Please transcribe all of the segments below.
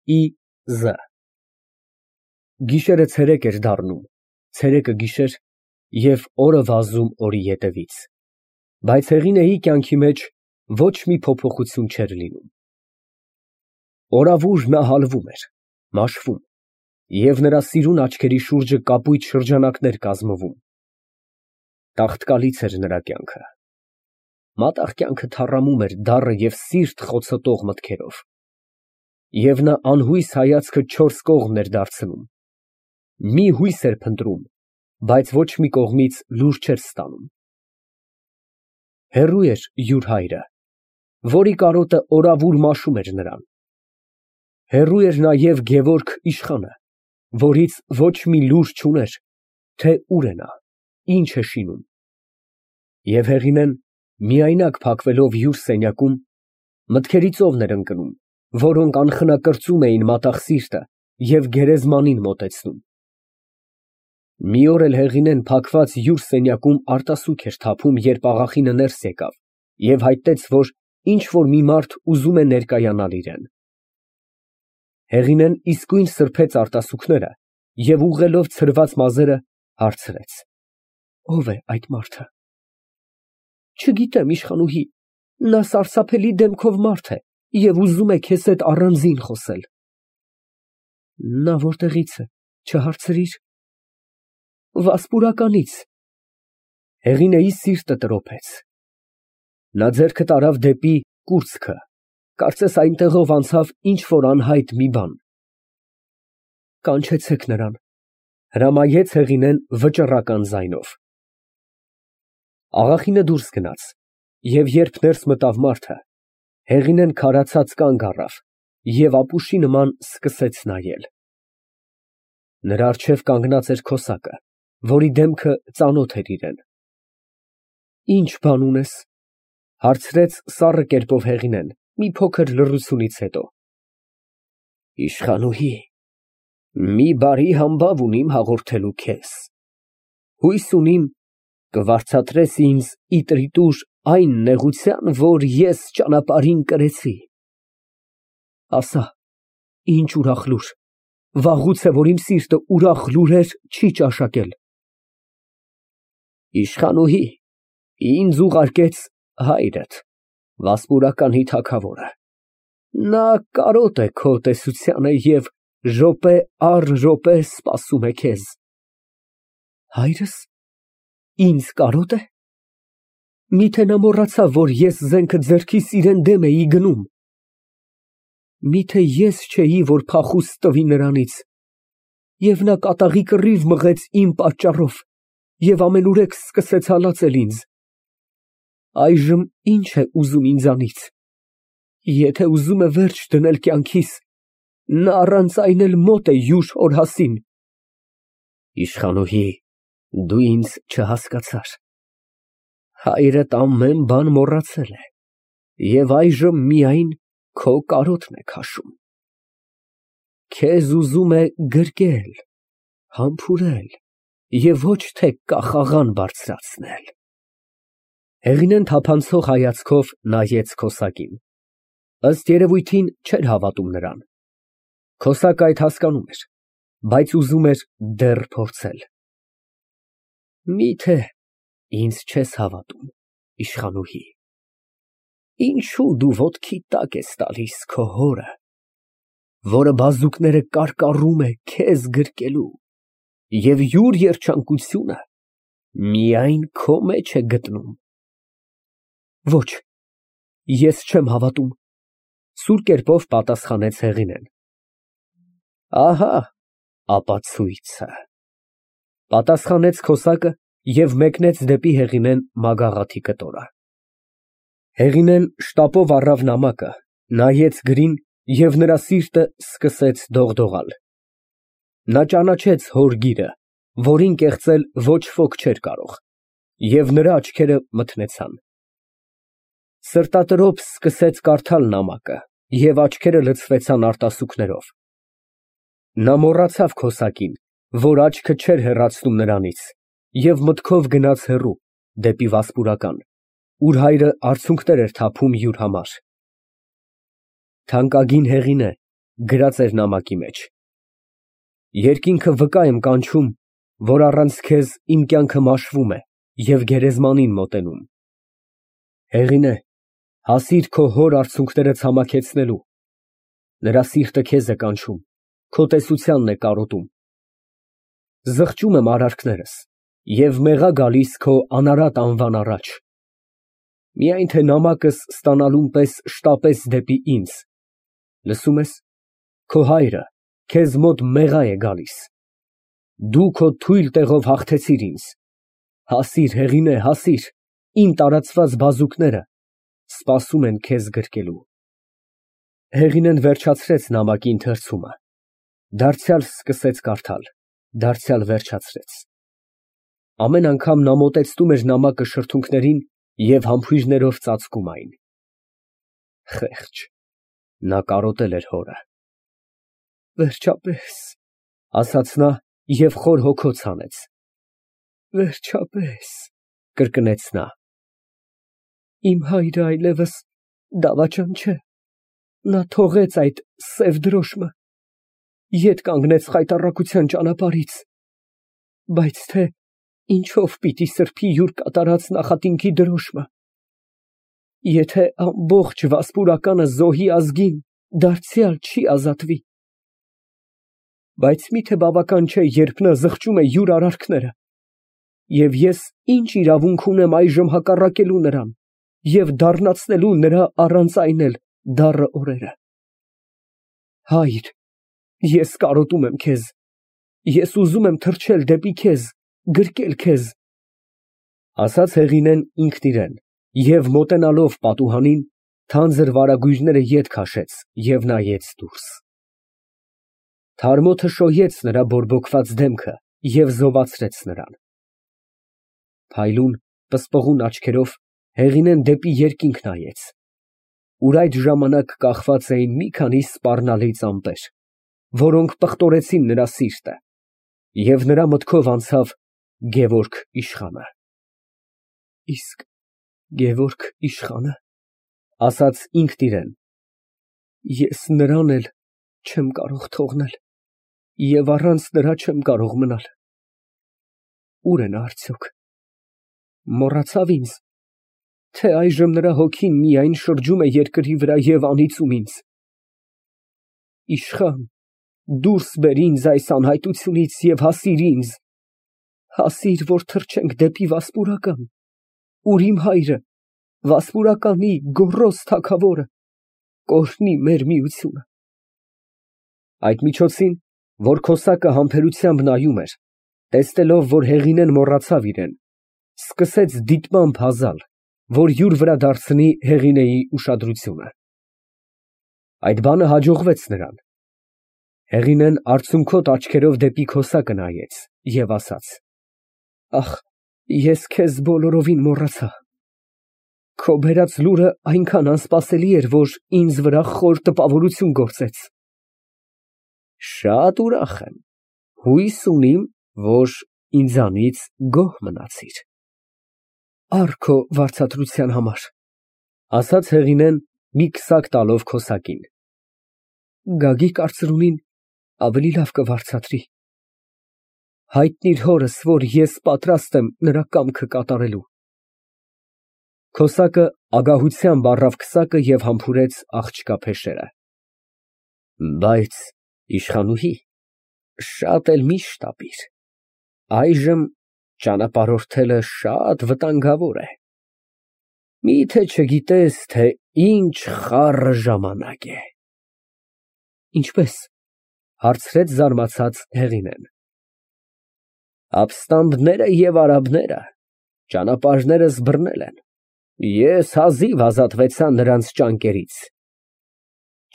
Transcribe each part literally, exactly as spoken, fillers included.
Ի Գիշերը ցերեկ էր դառնում, ցերեկը գիշեր և օրը վազում օրի ետևից, բայց Հեղինեի կյանքի մեջ ոչ մի փոփոխություն չէր լինում. օրավուր նա հալվում էր, մաշվում, և նրա սիրուն աչքերի շուրջը կապույտ շրջանակներ կազմվում. տաղտկալից էր նրա կյանքը, մատաղ կյանքը թառամում էր դառը և սիրտ խոցոտող մտքերով, և նա անհույս հայացքը չորս կողմն էր դարձնում, մի հույս էր փնտրում, բայց ոչ մի կողմից լուր չէր ստանում. հեռու էր յուր հայրը, որի կարոտը օրավուր մաշում էր նրան, հեռու էր նաև Գևորգ իշխանը, որից ոչ մի լուր չուներ, թե ուր է նա, ինչ է շինում, և Հեղինեն միայնակ փակվելով յուր սենյակում, մտքերի ծովն էր ընկնում, որոնք անխնակրծում էին մատաղ սիրտը և գերեզմանին մոտեցնում. մի օր էլ Հեղինեն փակված յուր սենյակում արտասուք էր թափում, երբ աղախինը ներս եկավ և հայտնեց, որ ինչ֊որ մի մարդ ուզում է ներկայանալ իրան. Հեղինեն իսկույն սրբեց արտասուքները և ուղղելով ցրված մազերը, հարցրեց. ո՞վ է այդ մարդը։ Չգիտեմ, իշխանուհի, նա սարսափելի դեմքով մարդ է և ուզում է քեզ հետ առանձին խոսել։ Նա որտեղից է, չհարցրի՞ր։ Վասպուրականից։ Հեղինեի սիրտը տրոփեց, նա ձեռքը տարավ դեպի կուրծքը, կարծես այնտեղով անցավ ինչ֊որ անհայտ մի բան։ Կանչեցեք նրան, հրամայեց Հեղինեն վճռական ձայնով։ Աղախինը դուրս գնաց, և երբ ներս մտավ մարդը, Հեղինեն քարացած կանգ առավ և ապուշի նման սկսեց նայել։ Նրա առջև կանգնած էր քոսակը, որի դեմքը ծանոթ էր իրան։ Ի՞նչ բան ունես, հարցրեց սառը կերպով Հեղինեն, մի փոքր լռությունից հետո։ Իշխանուհի, մի բարի համբավ ունիմ հաղորդելու քեզ, հույս ունիմ կվարձատրես ինձ ի տրիտուր այն նեղության, որ ես ճանապարհին կրեցի։ Ասա, ինչ ուրախ լուր, վաղուց է, որ իմ սիրտը ուրախ լուրեր չի ճաշակել։ Իշխանուհի, ինձ ուղարկեց հայրդ, վասպուրականի թագավորը, նա կարոտ է քո տեսությանը և րոպե առ րոպե սպասում է քեզ։ Հայրս ինձ կարոտ է։ Միթե նա մոռացավ, որ ես զենքը ձեռքիս իրան դեմ էի գնում։ Միթե ես չէի, որ փախուստ տվի նրանից, և նա կատաղի կռիվ մղեց իմ պատճառով և ամենուրեք սկսեց հալածել ինձ։ Այժմ ի՞նչ է ուզում ինձանից։ Եթե ուզում է վերջ դնել կյանքիս, նա առանց այն էլ մոտ է յուր օրհասին։ Իշխանուհի, դու ինձ չհասկացար։ Հայրդ ամեն բան մոռացել է և այժմ միայն քո կարոտն է քաշում։ Քեզ ուզում է գրկել, համբուրել և ոչ թե կախաղան բարձրացնել։ Հեղինեն թափանցող հայացքով նայեց քոսակին, ըստ երևույթին չէր հավատում նրան։ Քոսակը այդ հասկանում էր, բայց ուզում էր դեռ փորձել։ Միթե ինձ չես հավատում, իշխանուհի, ինչո՞ւ դու ոտքիդ տակ ես տալիս քո հորը, որը բազուկները կարկառում է քեզ գրկելու, և յուր երջանկությունը միայն քո մեջ է գտնում։ Ոչ, ես չեմ հավատում, սուր կերպով պատասխանեց Հեղինեն։ Ահա ապացույցը, պատասխանեց քոսակը և մեկնեց դեպի Հեղինեն մագաղաթի կտորը։ Հեղինեն շտապով առավ նամակը, նայեց գրին և նրա սիրտը սկսեց դողդողալ։ Նա ճանաչեց հոր գիրը, որին կեղծել ոչ ոք չէր կարող, և նրա աչքերը մթնեցան։ Սրտատրոփ սկսեց կարդալ նամակը, և աչքերը լցվեցան արտասուքներով։ Նա մոռացավ քոսակին, որ աչքը չէր հեռացնում նրանից, և մտքով գնաց հեռու, դեպի վասպուրական, ուր հայրը արցունքներ էր թափում յուր համար։ Թանկագին Հեղինե, գրած էր նամակի մեջ. Երկինքը վկա եմ կանչում, որ առանց քեզ իմ կյանքը մաշվում է և գերեզմանին մոտենում։ Հեղինե, հասիր քո հոր արցունքները ցամաքեցնելու, նրա սիրտը քեզ է կանչում, քո տեսությանն է կարոտում։ Զղջում եմ արարքներս և մեղա գալիս քո անարատ անվան առաջ։ Միայն թե նամակս ստանալուն պես շտապես դեպի ինձ, լսում ես, քո հայրը քեզ մոտ մեղա է գալիս։ Դու քո թույլ տեղով հաղթեցիր ինձ, հասիր, Հեղինե, հասիր, իմ տարածված բազուկները սպասում են քեզ գրկելու։ Հեղինեն վերջացրեց նամակի ընթերցումը, դարձյալ սկսեց կարդալ, դարձյալ վերջացրեց։ Ամեն անգամ նա մոտեցնում էր նամակը շրթունքներին և համբույրներով ծածկում այն։ Խեղճ, նա կարոտել էր հորը։ Վերջապես, ասաց նա և խոր հոգոց հանեց։ Վերջապես, կրկնեց նա։ Իմ հայրը այլևս դավաճան չէ, նա թողեց այդ սև դրոշմը, ետ կանգնեց խայտառակության ճանապարհից, բայց թե ինչով պիտի սրբի յուր կատարած նախատինքի դրոշմը, եթե ամբողջ վասպուրականը զոհի ազգին դարձյալ չի ազատվի։ Բայց մի՞թե բավական չէ, երբ նա զղջում է յուր արարքները, և ես ինչ իրավունք ունեմ այժմ հակառակելու նրան և դառնացնելու նրա առանց այն էլ դառը օրերը։ Հայր, ես կարոտում եմ քեզ, ես ուզում եմ թռչել դեպի քեզ, գրկել քեզ, ասաց Հեղինեն ինքն իրան և մոտենալով պատուհանին, թանձր վարագույրները ետ քաշեց և նայեց դուրս։ Թարմոթը շոյեց նրա բորբոքված դեմքը և զովացրեց նրան։ Փայլուն, պսպղուն աչքերով Հեղինեն դեպի երկինք նայեց, ուր այդ ժամանակ կախված էին մի քանի սպառնալից ամպեր, որոնք պղտորեցին նրա սիրտը, և նրա մտքով անցավ Գևորգ իշխանը։ Իսկ Գևորգ իշխանը, ասաց ինքն իրան, ես նրան էլ չեմ կարող թողնել և առանց նրա չեմ կարող մնալ։ Ո՞ւր է նա արդյոք, մոռացավ ինձ, թե այժմ նրա հոգին միայն շրջում է երկրի վրա և անիծում ինձ։ Իշխան, դուրս բեր ինձ այս անհայտությունից և հասիր ինձ, հասիր, որ թռչենք դեպի Վասպուրական, ուր իմ հայրը, Վասպուրականի գոռոզ թագավորը, կօրհնի մեր միությունը։ Այդ միջոցին, որ քոսակը համբերությամբ նայում էր, տեսնելով, որ Հեղինեն մոռացավ իրան, սկսեց դիտմամբ հազալ, որ յուր վրա դարձնի Հեղինեի ուշադրությունը։ Այդ բանը հաջողվեց նրան։ Հեղինեն արցունքոտ աչքերով դեպի քոսակը նայեց և ասաց. Ախ, ես քեզ բոլորովին մոռացա։ Քո բերած լուրը այնքան անսպասելի էր, որ ինձ վրա խոր տպավորություն գործեց։ Շատ ուրախ եմ, հույս ունիմ, որ ինձանից գոհ մնացիր։ Առ քո վարձատրության համար, ասաց Հեղինեն մի քսակ տալով քոսակին։ Գագիկ արծրունին ավելի լավ կվարձատրի։ Հայտնիր հորս, որ ես պատրաստ եմ նրա կամքը կատարելու։ Քոսակը ագահությամբ առավ քսակը և համբուրեց աղջկա փեշերը։ Բայց, իշխանուհի, շատ էլ մի շտապիր, այժմ ճանապարհորդելը շատ վտանգավոր է։ Մի՞թե չգիտես, թե ինչ խառը ժամանակ է։ Ինչպե՞ս, հարցրեց զարմացած Հեղինեն։ Ապստամբները և արաբները ճանապարհներս բռնել են, ես հազիվ ազատվեցա նրանց ճանկերից։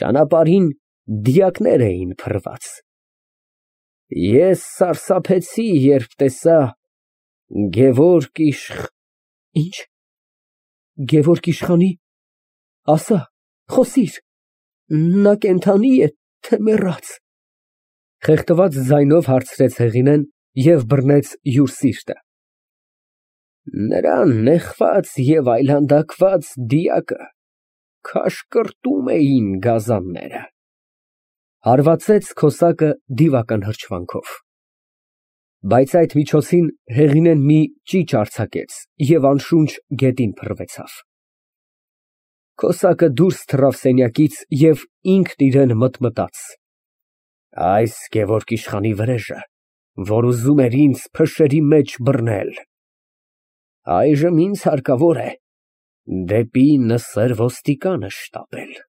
Ճանապարհին դիակներ էին փռված։ Ես սարսափեցի, երբ տեսա Գևորգ իշխ… Ի՞նչ, Գևորգ իշխանի… ասա, խոսիր, նա կենդանի է, թե մեռած։ Խեղդված ձայնով հարցրեց Հեղինեն և բռնեց յուր սիրտը։ Նրան նեխված և այլանդակված դիակը քաշկրտում էին գազանները։ Հարվածեց քոսակը դիվական հրճվանքով։ Բայց այդ միջոցին Հեղինեն մի ճիչ արձակեց և անշունչ գետին փռվեցավ։ Քոսակը դուրս թռավ սենյակից և ինքն իրան մտմտաց. «Այս Գևորգ իշխանի վրեժը, որ ուզում էր ինձ փշերի մեջ բռնել, այժմ ինձ հարկավոր է դեպի Նսեր ոստիկանը շտապել»։